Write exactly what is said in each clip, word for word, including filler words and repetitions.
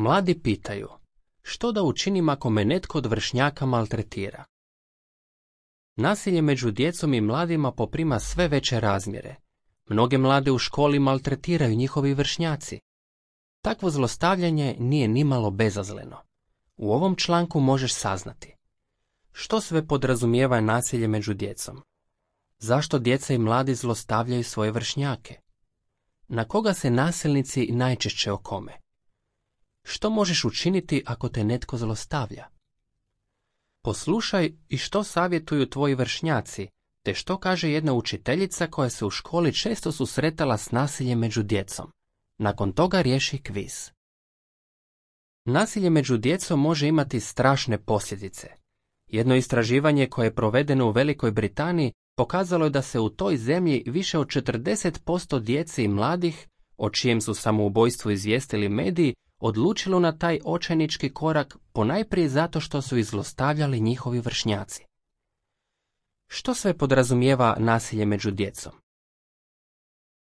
Mladi pitaju, što da učinim ako me netko od vršnjaka maltretira? Nasilje među djecom i mladima poprima sve veće razmjere. Mnoge mlade u školi maltretiraju njihovi vršnjaci. Takvo zlostavljanje nije nimalo bezazleno. U ovom članku možeš saznati što sve podrazumijeva nasilje među djecom, zašto djeca i mladi zlostavljaju svoje vršnjake, na koga se nasilnici najčešće okome, što možeš učiniti ako te netko zlostavlja. Poslušaj i što savjetuju tvoji vršnjaci, te što kaže jedna učiteljica koja se u školi često susretala s nasiljem među djecom. Nakon toga riješi kviz. Nasilje među djecom može imati strašne posljedice. Jedno istraživanje koje je provedeno u Velikoj Britaniji pokazalo je da se u toj zemlji više od četrdeset posto djece i mladih, o čijem su samoubojstvu izvijestili mediji, odlučilo na taj očajnički korak ponajprije zato što su ih zlostavljali njihovi vršnjaci. Što sve podrazumijeva nasilje među djecom?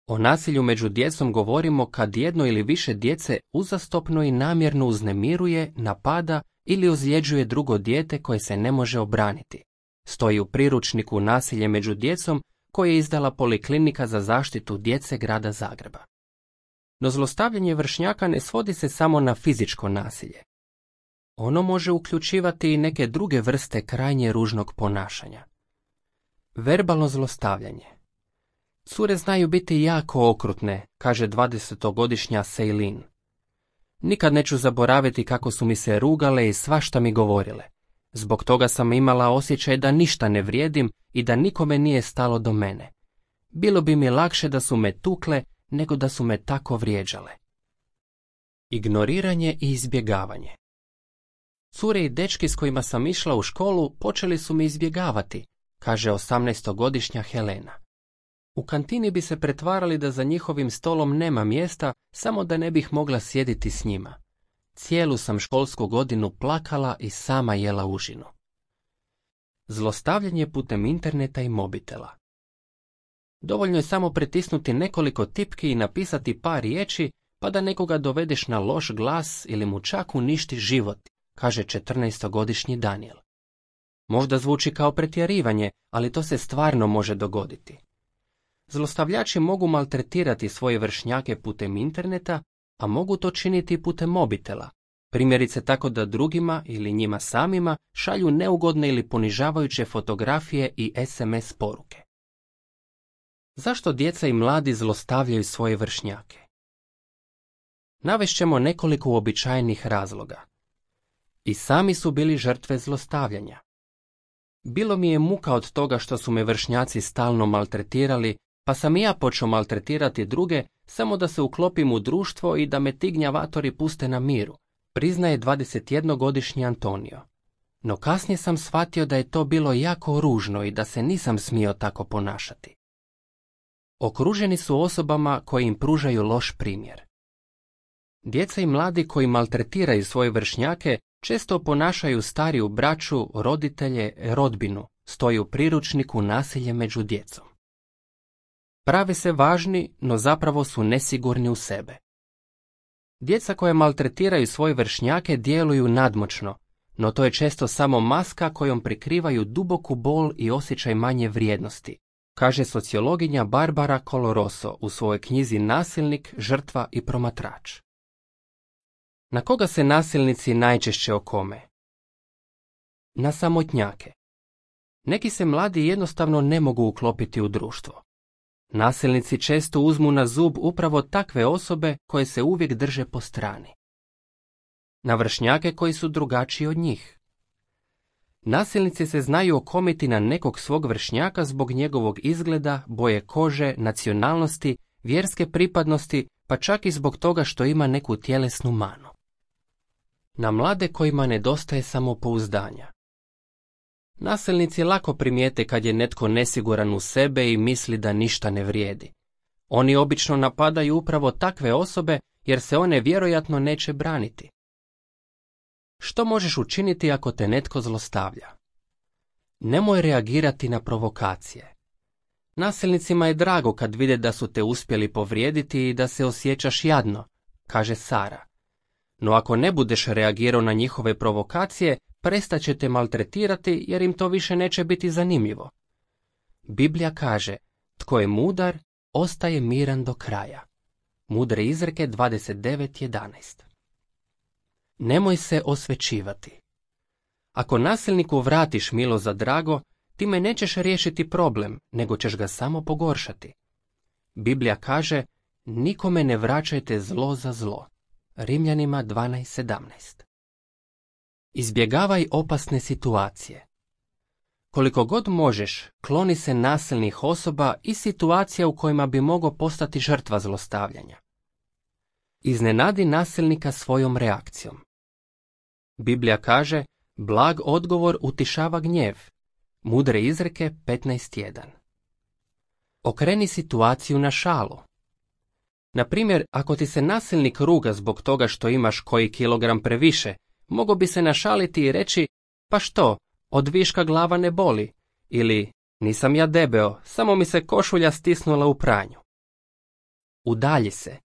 O nasilju među djecom govorimo kad jedno ili više djece uzastopno i namjerno uznemiruje, napada ili ozljeđuje drugo dijete koje se ne može obraniti. Stoji u priručniku Nasilje među djecom koje je izdala Poliklinika za zaštitu djece grada Zagreba. No zlostavljanje vršnjaka ne svodi se samo na fizičko nasilje. Ono može uključivati i neke druge vrste krajnje ružnog ponašanja. Verbalno zlostavljanje. Cure znaju biti jako okrutne, kaže dvadesetogodišnja Sejlin. Nikad neću zaboraviti kako su mi se rugale i svašta mi govorile. Zbog toga sam imala osjećaj da ništa ne vrijedim i da nikome nije stalo do mene. Bilo bi mi lakše da su me tukle nego da su me tako vrijeđale. Ignoriranje i izbjegavanje. Cure i dečki s kojima sam išla u školu počeli su me izbjegavati, kaže osamnaestogodišnja Helena. U kantini bi se pretvarali da za njihovim stolom nema mjesta, samo da ne bih mogla sjediti s njima. Cijelu sam školsku godinu plakala i sama jela užinu. Zlostavljanje putem interneta i mobitela. Dovoljno je samo pritisnuti nekoliko tipki i napisati par riječi, pa da nekoga dovedeš na loš glas ili mu čak uništi život, kaže četrnaestogodišnji Daniel. Možda zvuči kao pretjerivanje, ali to se stvarno može dogoditi. Zlostavljači mogu maltretirati svoje vršnjake putem interneta, a mogu to činiti putem mobitela, primjerice tako da drugima ili njima samima šalju neugodne ili ponižavajuće fotografije i es em es poruke. Zašto djeca i mladi zlostavljaju svoje vršnjake? Navešćemo nekoliko uobičajenih razloga. I sami su bili žrtve zlostavljanja. Bilo mi je muka od toga što su me vršnjaci stalno maltretirali, pa sam i ja počeo maltretirati druge samo da se uklopim u društvo i da me ti gnjavatori puste na miru, priznaje dvadesetjednogodišnji Antonio. No kasnije sam shvatio da je to bilo jako ružno i da se nisam smio tako ponašati. Okruženi su osobama koje im pružaju loš primjer. Djeca i mladi koji maltretiraju svoje vršnjake često ponašaju stariju braću, roditelje, rodbinu, stoji u priručniku Nasilje među djecom. Prave se važni, no zapravo su nesigurni u sebe. Djeca koja maltretiraju svoje vršnjake djeluju nadmoćno, no to je često samo maska kojom prikrivaju duboku bol i osjećaj manje vrijednosti, kaže sociologinja Barbara Coloroso u svojoj knjizi Nasilnik, žrtva i promatrač. Na koga se nasilnici najčešće okome? Na samotnjake. Neki se mladi jednostavno ne mogu uklopiti u društvo. Nasilnici često uzmu na zub upravo takve osobe koje se uvijek drže po strani. Na vršnjake koji su drugačiji od njih. Nasilnici se znaju okomiti na nekog svog vršnjaka zbog njegovog izgleda, boje kože, nacionalnosti, vjerske pripadnosti, pa čak i zbog toga što ima neku tjelesnu manu. Na mlade kojima nedostaje samopouzdanja. Nasilnici lako primijete kad je netko nesiguran u sebe i misli da ništa ne vrijedi. Oni obično napadaju upravo takve osobe jer se one vjerojatno neće braniti. Što možeš učiniti ako te netko zlostavlja? Nemoj reagirati na provokacije. Nasilnicima je drago kad vide da su te uspjeli povrijediti i da se osjećaš jadno, kaže Sara. No ako ne budeš reagirao na njihove provokacije, prestat će te maltretirati jer im to više neće biti zanimljivo. Biblija kaže, tko je mudar, ostaje miran do kraja. Mudre izreke dvadeset devet jedanaest. Nemoj se osvećivati. Ako nasilniku vratiš milo za drago, time nećeš riješiti problem, nego ćeš ga samo pogoršati. Biblija kaže, nikome ne vraćajte zlo za zlo. Rimljanima dvanaest sedamnaest. Izbjegavaj opasne situacije. Koliko god možeš, kloni se nasilnih osoba i situacija u kojima bi mogao postati žrtva zlostavljanja. Iznenadi nasilnika svojom reakcijom. Biblija kaže, blag odgovor utišava gnjev. Mudre izreke petnaest jedan. Okreni situaciju na šalu. Na primjer, ako ti se nasilnik ruga zbog toga što imaš koji kilogram previše, mogao bi se našaliti i reći, pa što, od viška glava ne boli, ili nisam ja debeo, samo mi se košulja stisnula u pranju. Udalji se.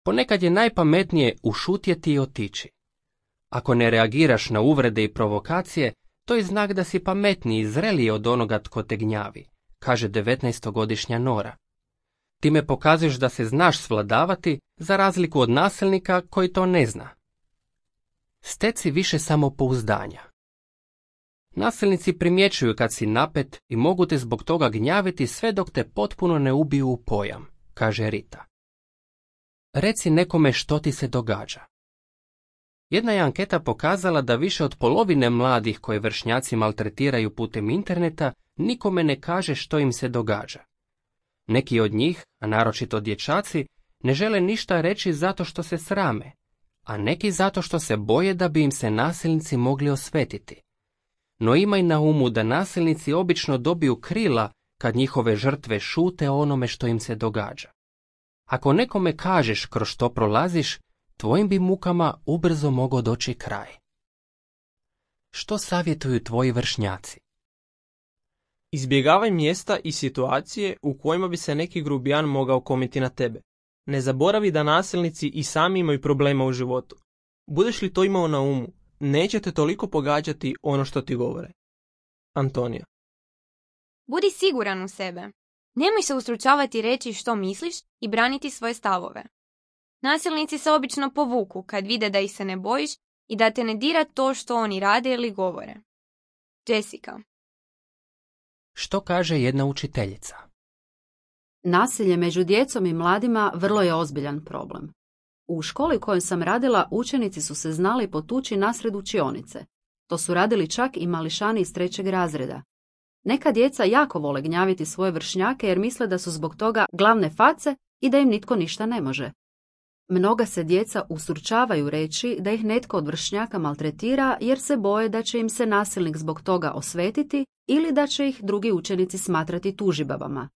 Ponekad je najpametnije ušutjeti i otići. Ako ne reagiraš na uvrede i provokacije, to je znak da si pametniji i zreliji od onoga tko te gnjavi, kaže devetnaestogodišnja Nora. Time pokazuješ da se znaš svladavati, za razliku od nasilnika koji to ne zna. Steci više samopouzdanja. Nasilnici primjećuju kad si napet i mogu te zbog toga gnjaviti sve dok te potpuno ne ubiju u pojam, kaže Rita. Reci nekome što ti se događa. Jedna je anketa pokazala da više od polovine mladih koje vršnjaci maltretiraju putem interneta nikome ne kaže što im se događa. Neki od njih, a naročito dječaci, ne žele ništa reći zato što se srame, a neki zato što se boje da bi im se nasilnici mogli osvetiti. No imaj na umu da nasilnici obično dobiju krila kad njihove žrtve šute o onome što im se događa. Ako nekome kažeš kroz što prolaziš, tvojim bi mukama ubrzo mogao doći kraj. Što savjetuju tvoji vršnjaci? Izbjegavaj mjesta i situacije u kojima bi se neki grubijan mogao komiti na tebe. Ne zaboravi da nasilnici i sami imaju problema u životu. Budeš li to imao na umu, neće te toliko pogađati ono što ti govore. Antonija. Budi siguran u sebe. Nemoj se ustručavati reći što misliš i braniti svoje stavove. Nasilnici se obično povuku kad vide da ih se ne bojiš i da te ne dira to što oni rade ili govore. Jessica. Što kaže jedna učiteljica? Nasilje među djecom i mladima vrlo je ozbiljan problem. U školi u kojoj sam radila učenici su se znali potući nasred učionice. To su radili čak i mališani iz trećeg razreda. Neka djeca jako vole gnjaviti svoje vršnjake jer misle da su zbog toga glavne face i da im nitko ništa ne može. Mnoga se djeca ustručavaju reći da ih netko od vršnjaka maltretira jer se boje da će im se nasilnik zbog toga osvetiti ili da će ih drugi učenici smatrati tužibabama.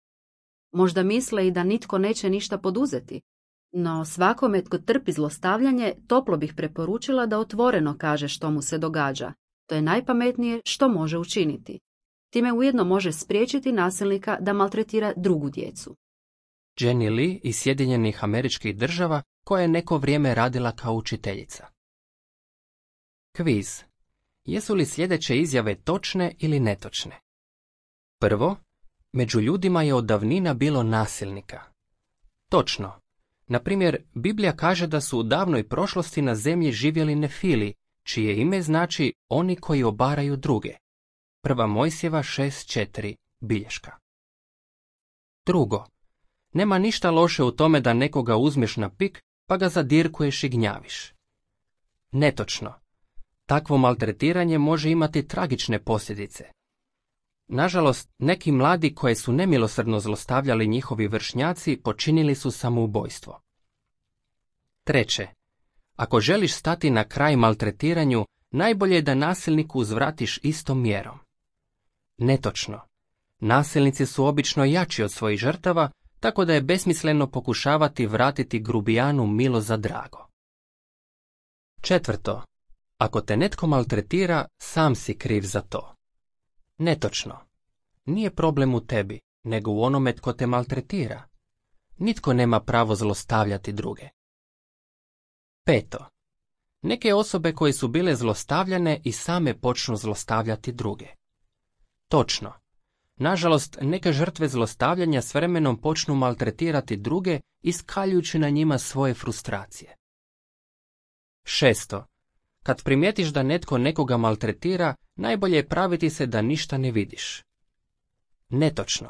Možda misle i da nitko neće ništa poduzeti, no svakome tko trpi zlostavljanje toplo bih preporučila da otvoreno kaže što mu se događa. To je najpametnije što može učiniti. Time ujedno može spriječiti nasilnika da maltretira drugu djecu. Jenny Lee iz Sjedinjenih Američkih Država koja je neko vrijeme radila kao učiteljica. Kviz. Jesu li sljedeće izjave točne ili netočne? Prvo, među ljudima je od davnina bilo nasilnika. Točno. Na primjer, Biblija kaže da su u davnoj prošlosti na zemlji živjeli Nefili, čije ime znači oni koji obaraju druge. Prva Mojsijeva šest četiri, bilješka. Drugo, nema ništa loše u tome da nekoga uzmeš na pik pa ga zadirkuješ i gnjaviš. Netočno. Takvo maltretiranje može imati tragične posljedice. Nažalost, neki mladi koje su nemilosrdno zlostavljali njihovi vršnjaci počinili su samoubojstvo. Treće, ako želiš stati na kraj maltretiranju, najbolje je da nasilniku uzvratiš istom mjerom. Netočno. Nasilnici su obično jači od svojih žrtava, tako da je besmisleno pokušavati vratiti grubijanu milo za drago. Četvrto, ako te netko maltretira, sam si kriv za to. Netočno. Nije problem u tebi, nego u onome tko te maltretira. Nitko nema pravo zlostavljati druge. Peto, Neke osobe koje su bile zlostavljane i same počnu zlostavljati druge. Točno. Nažalost, neke žrtve zlostavljanja s vremenom počnu maltretirati druge, iskaljujući na njima svoje frustracije. Šesto. Kad primijetiš da netko nekoga maltretira, najbolje je praviti se da ništa ne vidiš. Netočno.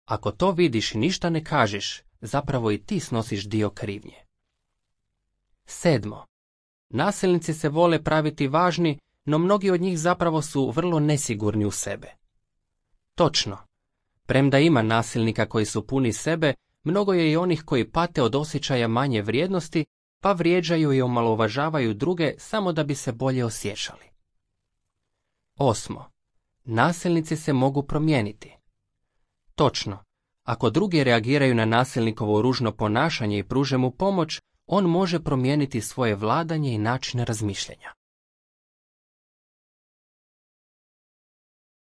Ako to vidiš i ništa ne kažeš, zapravo i ti snosiš dio krivnje. Sedmo. Nasilnici se vole praviti važni, no mnogi od njih zapravo su vrlo nesigurni u sebe. Točno. Premda ima nasilnika koji su puni sebe, mnogo je i onih koji pate od osjećaja manje vrijednosti, pa vrijeđaju i omalovažavaju druge samo da bi se bolje osjećali. Osmo. Nasilnici se mogu promijeniti. Točno. Ako drugi reagiraju na nasilnikovo ružno ponašanje i pruže mu pomoć, on može promijeniti svoje vladanje i način razmišljanja.